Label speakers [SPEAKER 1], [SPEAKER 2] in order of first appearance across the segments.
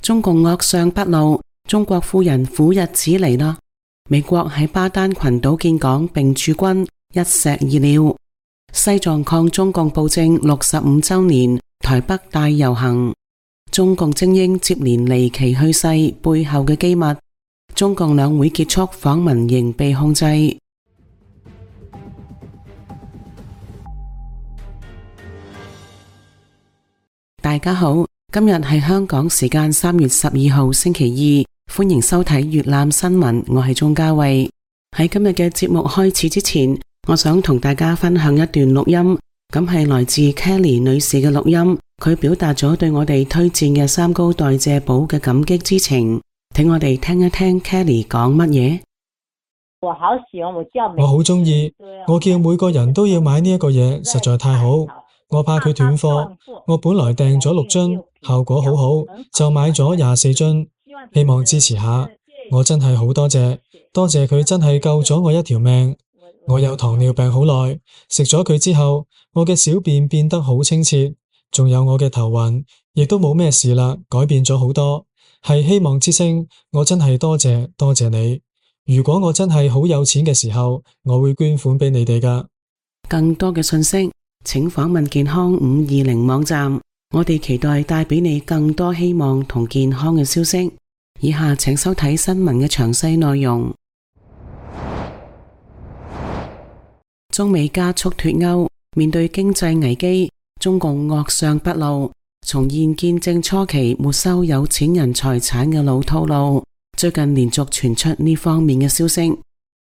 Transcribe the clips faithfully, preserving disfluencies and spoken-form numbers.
[SPEAKER 1] 中共惡相不露，中國富人苦日子嚟啦！美國喺巴丹群島建港並駐軍，一石二鳥。西藏抗中共暴政六十五周年，台北大遊行。中共精英接連離奇去世，背後嘅機密。中共兩會結束，訪民仍被控制。大家好，今日係香港時間三月十二號星期二，歡迎收睇粵覽新聞，我係鍾嘉慧。喺今日嘅節目開始之前，我想同大家分享一段錄音，咁係來自 Kelly 女士嘅錄音，佢表達咗對我哋推薦嘅三高代謝寶嘅感激之情，請我哋聽一聽 Kelly 講乜嘢。
[SPEAKER 2] 我好喜歡，我叫
[SPEAKER 3] 我好中意，我叫每個人都要買呢一個嘢，實在太好。我怕佢斷貨，我本來訂咗六樽，效果好好，就買咗廿四樽，希望支持下。我真係好多謝，多謝佢真係救咗我一條命。我有糖尿病好耐，食咗佢之後，我嘅小便變得好清澈，仲有我嘅頭暈，亦都冇咩事啦，改變咗好多。係希望之星，我真係多謝多謝你。如果我真係好有錢嘅時候，我會捐款俾你哋㗎。
[SPEAKER 1] 更多嘅信息，請訪問健康五二零網站，我哋期待帶俾你更多希望同健康嘅消息。以下請收睇新聞嘅詳細內容。中美加速脫鉤，面對經濟危機，中共惡相不露，重現建政初期沒收有錢人財產嘅老套路。最近連續傳出呢方面嘅消息，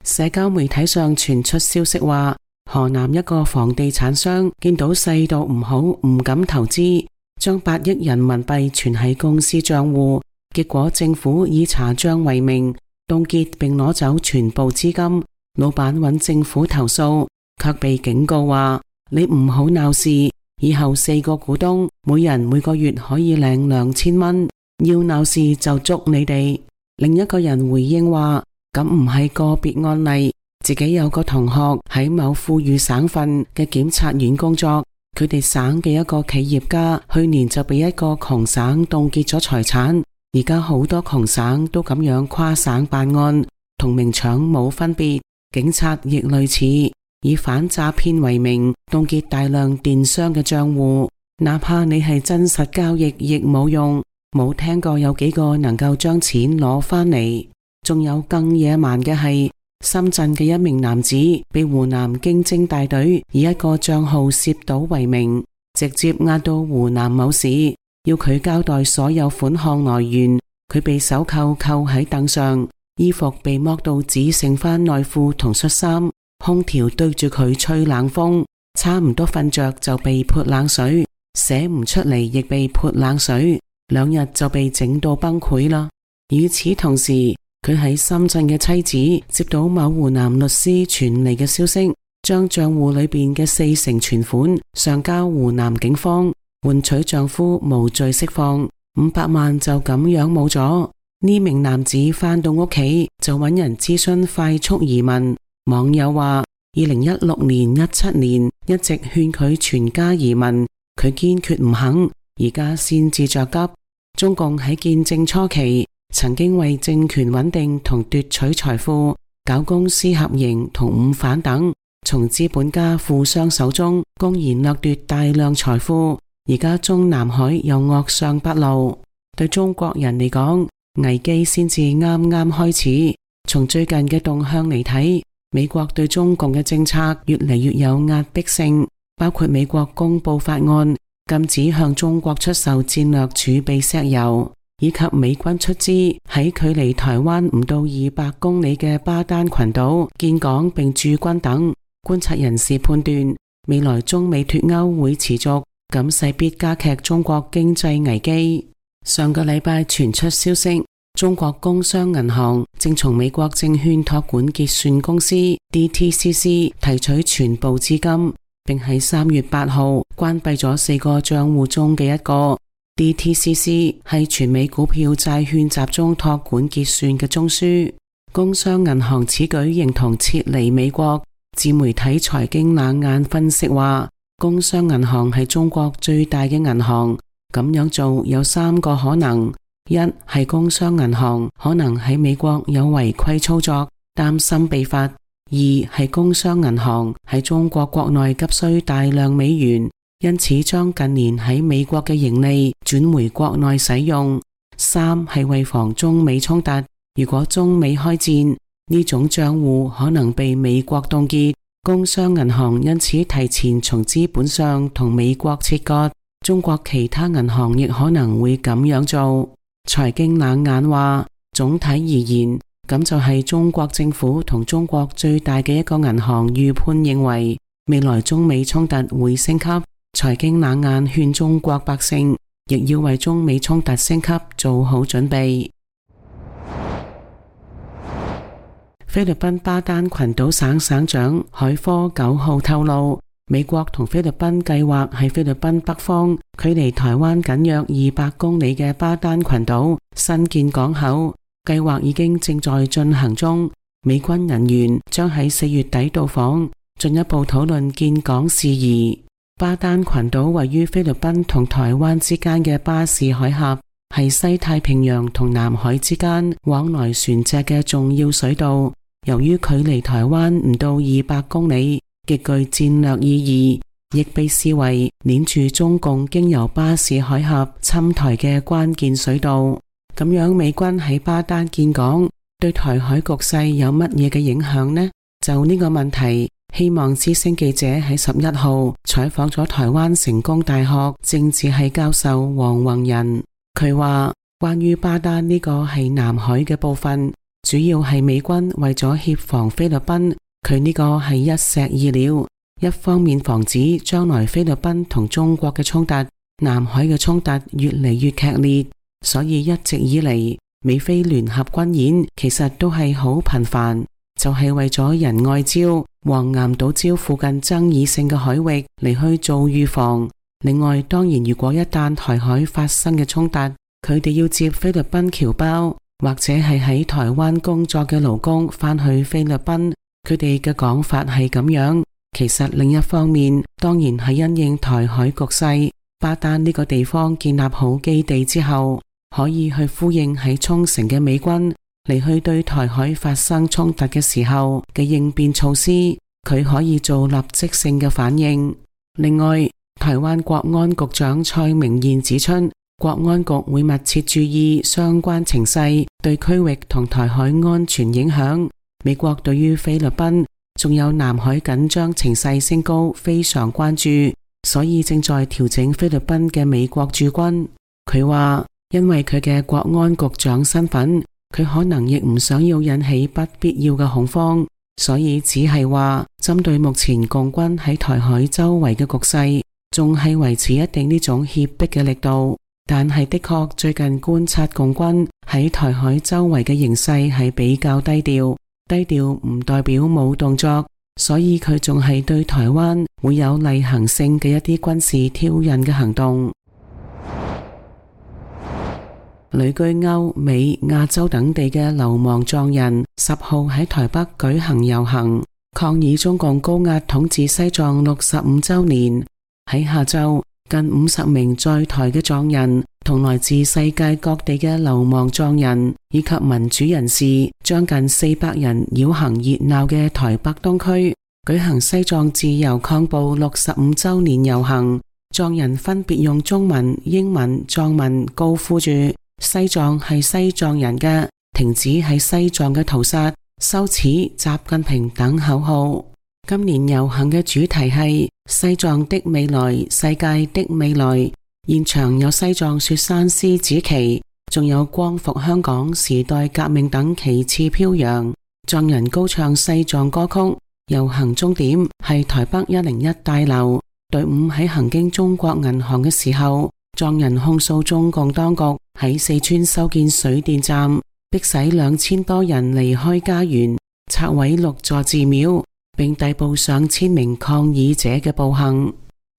[SPEAKER 1] 社交媒體上傳出消息話，河南一個房地產商見到勢度唔好，唔敢投資，將八億人民幣存喺公司賬戶，結果政府以查賬為名凍結並攞走全部資金。老闆揾政府投訴，卻被警告話，你唔好鬧事，以後四個股東每人每個月可以領兩千蚊，要鬧事就捉你哋。另一個人回應話，咁唔係個別案例，自己有個同學喺某富裕省份嘅檢察院工作，佢哋省嘅一個企業家去年就被一個窮省凍結咗財產，而家好多窮省都咁樣跨省辦案，同明搶冇分別。警察亦類似以反詐騙為名凍結大量電商嘅賬戶，哪怕你係真實交易亦冇用。冇聽過有幾個能夠將錢攞返嚟。仲有更野蠻嘅係，深圳嘅一名男子被湖南經偵大隊以一個賬號涉賭為名，直接押到湖南某市，要佢交代所有款項來源。佢被手銬扣喺凳上，衣服被剝到只剩返內褲同恤衫，空調對住佢吹冷風，差唔多瞓着就被潑冷水，寫唔出嚟亦被潑冷水，兩日就被整到崩潰啦。與此同時，佢喺深圳嘅妻子接到某湖南律師傳嚟嘅消息，將賬戶裏邊嘅四成存款上交湖南警方，換取丈夫無罪釋放，五百萬就咁樣冇咗。呢名男子返到屋企就揾人諮詢快速移民。網友話，二零一六年、一七年一直勸佢全家移民，佢堅決唔肯，而家先至着急。中共喺建政初期曾經為政權穩定同奪取財富，搞公私合營同五反等，從資本家富商手中公然掠奪大量財富。而家中南海又惡相不露，對中國人嚟講，危機先至啱啱開始。從最近嘅動向嚟睇，美國對中共嘅政策越嚟越有壓迫性，包括美國公布法案禁止向中國出售戰略儲備石油，以及美軍出資喺距離台灣唔到二百公里嘅巴丹群島建港並駐軍等。觀察人士判斷，未來中美脫鉤會持續，咁勢必加劇中國經濟危機。上個禮拜傳出消息，中國工商銀行正從美國證券託管結算公司 D T C C 提取全部資金，並喺三月八號關閉咗四個賬戶中嘅一個。 D T C C 係全美股票債券集中託管結算嘅中樞。工商銀行此舉形同撤離美國。自媒體財經冷眼分析話，工商銀行係中國最大嘅銀行，咁樣做有三個可能：一係工商銀行可能喺美國有違規操作，擔心被罰；二係工商銀行喺中國國內急需大量美元，因此將近年喺美國嘅盈利轉回國內使用；三係為防中美衝突，如果中美開戰，呢種賬戶可能被美國凍結，工商銀行因此提前從資本上同美國切割，中國其他銀行亦可能會咁樣做。財經冷眼話，總體而言，咁就係中國政府同中國最大嘅一個銀行預判認為未來中美衝突會升級。財經冷眼勸中國百姓亦要為中美衝突升級做好準備。菲律賓巴丹群島省省長海科九號透露，美國同菲律賓計劃喺菲律賓北方距離台灣僅約二百公里嘅巴丹群島新建港口，計劃已經正在進行中。美軍人員將喺四月底到訪，進一步討論建港事宜。巴丹群島位於菲律賓同台灣之間嘅巴士海峽，係西太平洋同南海之間往來船隻嘅重要水道。由於距離台灣唔到二百公里，極具戰略意義，亦被視為鏈住中共經由巴士海峽侵台嘅關鍵水道。咁樣美軍喺巴丹建港，對台海局勢有乜嘢嘅影響呢？就呢個問題，希望之聲記者喺十一號採訪咗台灣成功大學政治系教授黃宏仁。佢話關於巴丹呢個係南海嘅部分，主要係美軍為咗協防菲律賓，佢呢個係一石二鳥，一方面防止將來菲律賓同中國嘅衝突，南海嘅衝突越嚟越劇烈，所以一直以嚟美菲聯合軍演其實都係好頻繁，就係為咗仁愛礁、黃岩島礁附近爭議性嘅海域嚟去做預防。另外，當然如果一旦台海發生嘅衝突，佢哋要接菲律賓僑胞，或者係喺台灣工作嘅勞工返去菲律賓，佢哋嘅講法係咁樣。其實另一方面，當然係因應台海局勢，巴丹呢個地方建立好基地之後，可以去呼應喺沖繩嘅美軍嚟去對台海發生衝突嘅時候嘅應變措施，佢可以做立即性嘅反應。另外，台灣國安局長蔡明彥指出，國安局會密切注意相關情勢對區域同台海安全影響。美國對於菲律賓仲有南海緊張情勢升高非常關注，所以正在調整菲律賓嘅美國駐軍。佢話因為佢嘅國安局長身份，佢可能亦唔想要引起不必要嘅恐慌，所以只係話針對目前共軍喺台海周圍嘅局勢，仲係維持一定呢種脅迫嘅力度。但係的確最近觀察共軍喺台海周圍嘅形勢係比較低調，低調唔代表冇動作，所以佢仲係對台灣會有例行性嘅一啲軍事挑釁嘅行動。旅居歐美亞洲等地嘅流亡藏人十號喺台北舉行遊行，抗議中共高壓統治西藏六十五周年。喺下晝，近五十名在台嘅藏人同來自世界各地嘅流亡藏人以及民主人士，將近四百人繞行熱鬧嘅台北東區，舉行西藏自由抗暴六十五周年遊行。藏人分別用中文、英文、藏文高呼住西藏係西藏人嘅，停止喺西藏嘅屠殺，羞恥習近平等口號。今年遊行嘅主題係西藏的未來，世界的未來。現場有西藏雪山獅子旗，仲有光復香港、時代革命等旗幟飄揚。藏人高唱西藏歌曲。遊行終點係台北一零一大樓。隊伍喺行經中國銀行嘅時候，藏人控訴中共當局喺四川修建水電站，迫使兩千多人離開家園，拆毀六座寺廟，並逮捕上千名抗議者嘅暴行。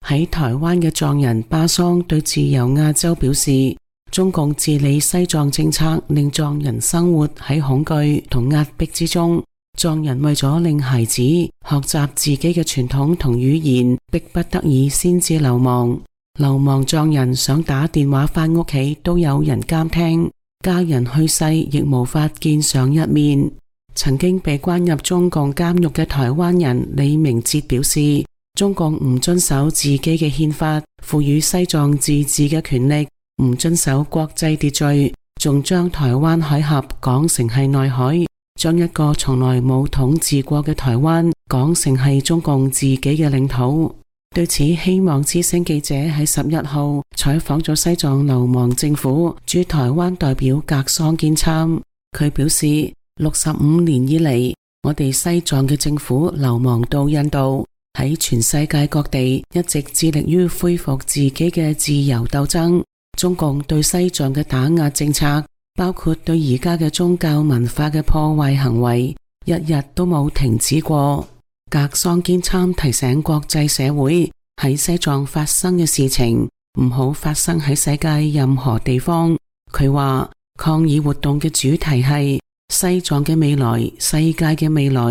[SPEAKER 1] 喺台灣嘅藏人巴桑對自由亞洲表示，中共治理西藏政策令藏人生活喺恐懼同壓迫之中，藏人為咗令孩子學習自己嘅傳統同語言，迫不得已先至流亡。流亡藏人想打電話返屋企都有人監聽，家人去世亦無法見上一面。曾經被關入中共監獄嘅台灣人李明哲表示，中共唔遵守自己嘅憲法，賦予西藏自治嘅權力，唔遵守國際秩序，仲將台灣海峽講成係內海，將一個從來冇統治過嘅台灣講成係中共自己嘅領土。對此，希望之聲記者喺十一號採訪咗西藏流亡政府駐台灣代表格桑堅參，佢表示，六十五年以嚟，我哋西藏嘅政府流亡到印度，喺全世界各地一直致力於恢復自己嘅自由鬥爭。中共對西藏嘅打壓政策，包括對而家嘅宗教文化嘅破壞行為，一日都冇停止過。格桑堅參提醒國際社會，喺西藏發生嘅事情唔好發生喺世界任何地方。佢話抗議活動嘅主題係西藏嘅未來，世界嘅未來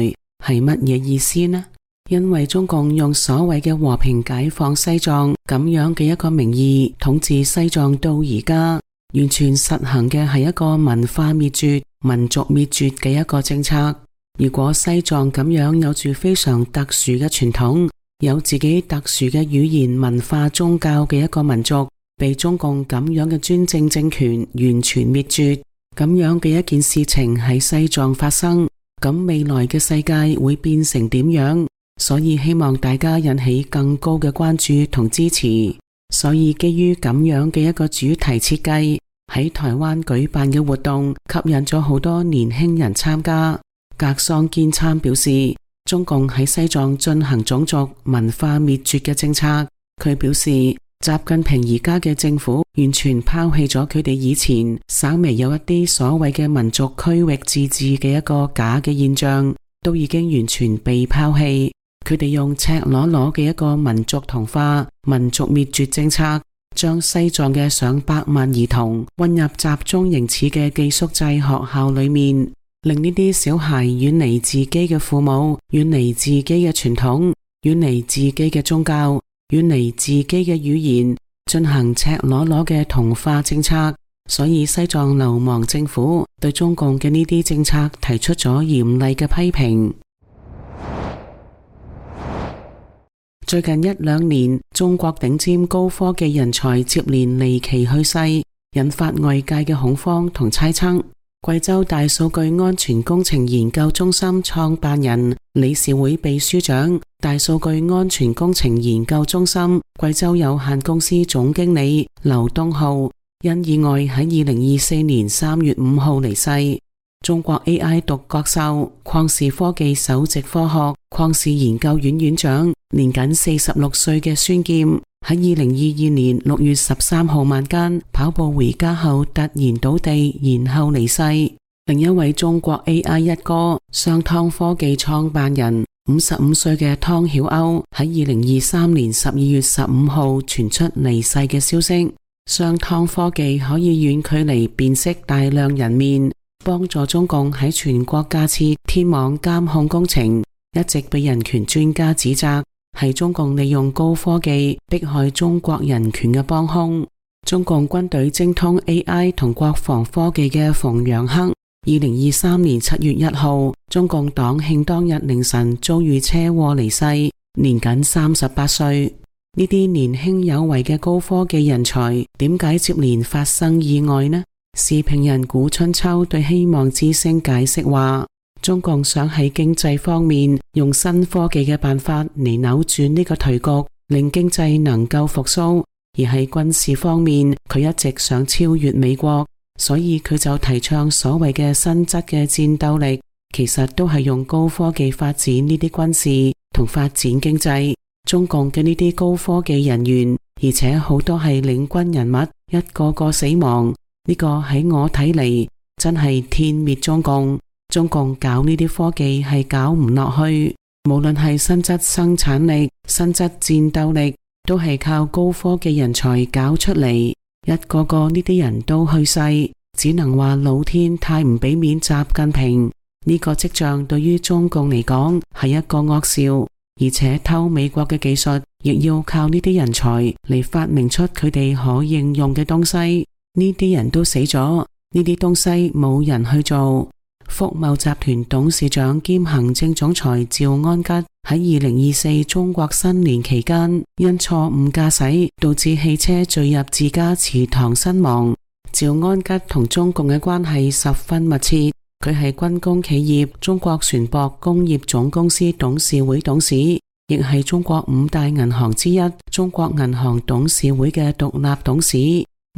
[SPEAKER 1] 係乜嘢意思呢？因為中共用所謂嘅和平解放西藏咁樣嘅一個名義統治西藏到而家，完全實行嘅係一個文化滅絕、民族滅絕嘅一個政策。如果西藏咁樣有住非常特殊嘅傳統，有自己特殊嘅語言、文化、宗教嘅一個民族，被中共咁樣嘅專政政權完全滅絕，咁樣嘅一件事情喺西藏發生，咁未來嘅世界會變成點樣？所以希望大家引起更高嘅關注同支持。所以基於咁樣嘅一個主題設計，喺台灣舉辦嘅活動吸引咗好多年輕人參加。格桑堅參表示，中共喺西藏進行種族文化滅絕嘅政策。佢表示，習近平而家嘅政府完全拋棄咗佢哋以前稍微有一啲所謂嘅民族區域自治嘅一個假嘅現象，都已經完全被拋棄。佢哋用赤裸裸嘅一個民族同化、民族滅絕政策，將西藏嘅上百萬兒童混入集中營似嘅寄宿制學校裏面，令呢啲小孩遠離自己嘅父母，遠離自己嘅傳統，遠離自己嘅宗教，遠離自己嘅語言，進行赤裸裸嘅同化政策。所以西藏流亡政府對中共嘅呢啲政策提出咗嚴厲嘅批評。最近一兩年，中國頂尖高科技人才接連離奇去世，引發外界嘅恐慌同猜測。貴州大數據安全工程研究中心創辦人、理事會秘書長、大數據安全工程研究中心貴州有限公司總經理劉東浩因意外喺二零二四年三月五號離世。中國 A I 獨角獸、曠視科技首席科學、曠視研究院院長，年僅四十六歲嘅孫劍喺二零二二年六月十三號晚間跑步回家後突然倒地，然後離世。另一位中國 A I 一哥商湯科技創辦人五十五歲嘅湯曉鷗喺二零二三年十二月十五號傳出離世嘅消息。商湯科技可以遠距離辨識大量人面，幫助中共喺全國架設天網監控工程，一直被人權專家指責係中共利用高科技迫害中國人權嘅幫兇。中共軍隊精通 A I 同國防科技嘅馮陽克，二零二三年七月一號，中共黨慶當日凌晨遭遇車禍離世，年僅三十八歲。呢啲年輕有為嘅高科技人才，點解接連發生意外呢？時評人古春秋對希望之聲解釋話，中共想喺經濟方面用新科技嘅辦法嚟扭轉呢個頹局，令經濟能夠復甦；而喺軍事方面，佢一直想超越美國，所以佢就提倡所謂嘅新質嘅戰鬥力，其實都係用高科技發展呢啲軍事同發展經濟。中共嘅呢啲高科技人員，而且好多係領軍人物，一個個死亡。呢個喺我睇嚟，真係天滅中共。中共搞呢啲科技係搞唔落去，無論係新質生產力、新質戰鬥力，都係靠高科技人才搞出嚟。一個個呢啲人都去世，只能話老天太唔俾面習近平。呢個跡象對於中共嚟講係一個惡兆，而且偷美國嘅技術，亦要靠呢啲人才嚟發明出佢哋可應用嘅東西。呢啲人都死咗，呢啲東西冇人去做。福茂集團董事長兼行政總裁趙安吉喺二零二四中國新年期間因錯誤駕駛導致汽車墜入自家祠堂身亡。趙安吉同中共嘅關係十分密切，佢係軍工企業中國船舶工業總公司董事會董事，亦係中國五大銀行之一中國銀行董事會嘅獨立董事。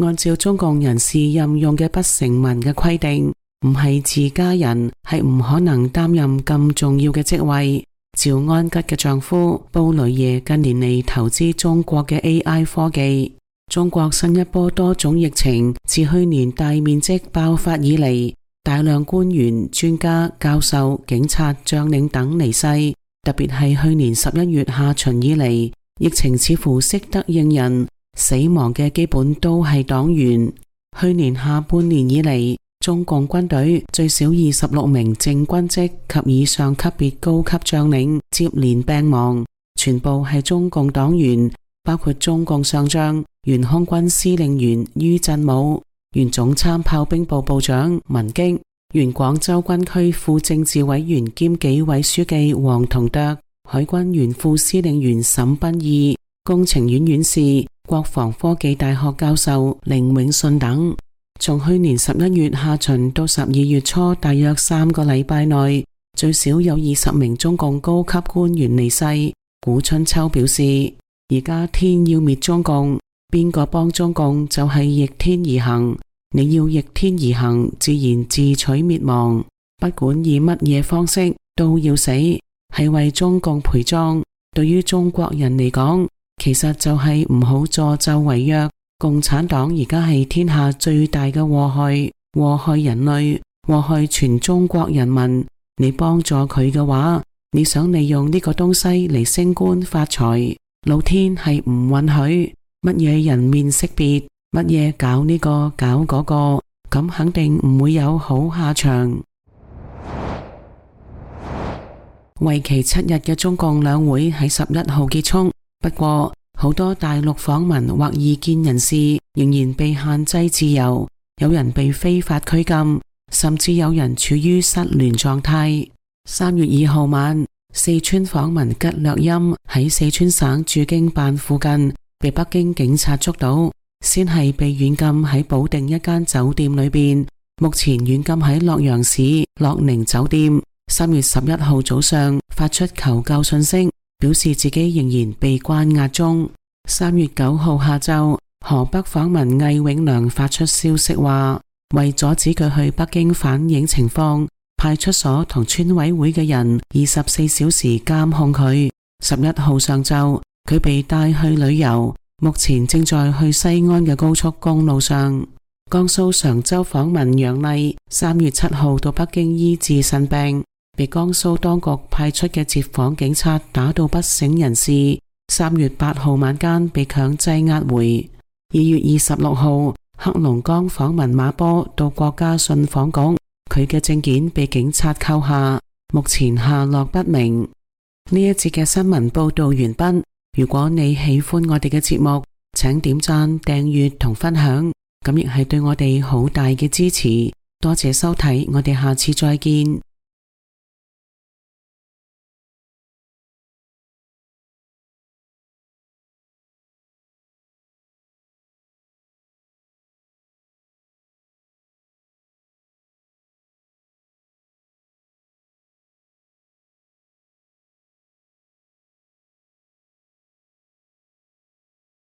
[SPEAKER 1] 按照中共人事任用嘅不成文嘅規定，唔係自家人係唔可能擔任咁重要嘅職位。趙安吉嘅丈夫布雷耶近年嚟投資中國嘅 A I 科技。中國新一波多種疫情自去年大面積爆發以嚟，大量官員、專家、教授、警察、將領等離世。特別係去年十一月下旬以嚟，疫情似乎識得應人，死亡嘅基本都係黨員。去年下半年以嚟，中共軍隊最少二十六名正軍職及以上級別高級將領接連病亡，全部係中共黨員，包括中共上將、原空軍司令員于振武、原總參炮兵部部長文擊、原廣州軍區副政治委員兼紀委書記黃同鐸、海軍原副司令員沈賓義、工程院院士、國防科技大學教授凌永信等。從去年十一月下旬到十二月初，大約三個禮拜內，最少有二十名中共高級官員離世。古春秋表示，而家天要滅中共，邊個幫中共就係逆天而行。你要逆天而行，自然自取滅亡。不管以乜嘢方式，都要死，係為中共陪葬。對於中國人嚟講，其實就係唔好助紂為虐。共產黨而家係天下最大嘅禍害，禍害人類，禍害全中國人民。你幫助佢嘅話，你想利用呢個東西嚟升官發財，老天係唔允許。乜嘢人面識別，乜嘢搞呢個搞嗰個，咁肯定唔會有好下場。為期七日嘅中共兩會喺十一號結束，不過好多大陸訪民或異見人士仍然被限制自由，有人被非法拘禁，甚至有人處於失聯狀態。三月二號晚，四川訪民吉略欽喺四川省駐京辦附近被北京警察捉到，先係被軟禁喺保定一間酒店裏邊，目前軟禁喺洛陽市樂寧酒店。三月十一號早上發出求救信息，表示自己仍然被關押中。三月九號下晝，河北訪民魏永良發出消息話，為阻止佢去北京反映情況，派出所同村委會嘅人二十四小時監控佢。十一號上晝，佢被帶去旅遊，目前正在去西安嘅高速公路上。江蘇常州訪民楊麗三月七號到北京醫治腎病，被江蘇當局派出嘅接訪警察打到不省人事。三月八號晚間被強制押回。二月二十六號，黑龍江訪民馬波到國家信訪局，佢嘅證件被警察扣下，目前下落不明。呢一節嘅新聞報道完畢。如果你喜歡我哋嘅節目，請點讚、訂閱同分享，咁亦係對我哋好大嘅支持。多謝收睇，我哋下次再見。